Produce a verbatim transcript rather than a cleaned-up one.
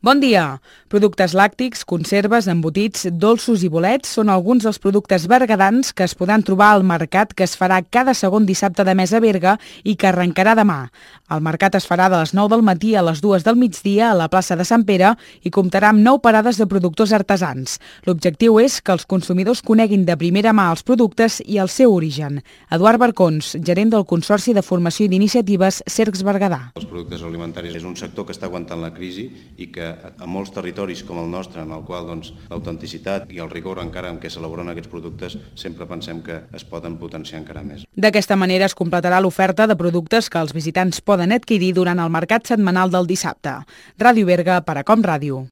Bon dia! Productes làctics, conserves, embotits, dolços i bolets són alguns dels productes berguedans que es podran trobar al mercat que es farà cada segon dissabte de mes a Berga i que arrencarà demà. El mercat es farà de les nou del matí a les dues del migdia a la plaça de Sant Pere i comptarà amb nou parades de productors artesans. L'objectiu és que els consumidors coneguin de primera mà els productes i el seu origen. Eduard Barcons, gerent del Consorci de Formació i d'Iniciatives Cercs Berguedà. Els productes alimentaris és un sector que està aguantant la crisi i que a molts territoris com el nostre, en el qual doncs, l'autenticitat i el rigor encara amb què s'elaboren aquests productes, sempre pensem que es poden potenciar encara més. D'aquesta manera es completarà l'oferta de productes que els visitants poden adquirir durant el mercat setmanal del dissabte. Ràdio Berga per a Com Ràdio.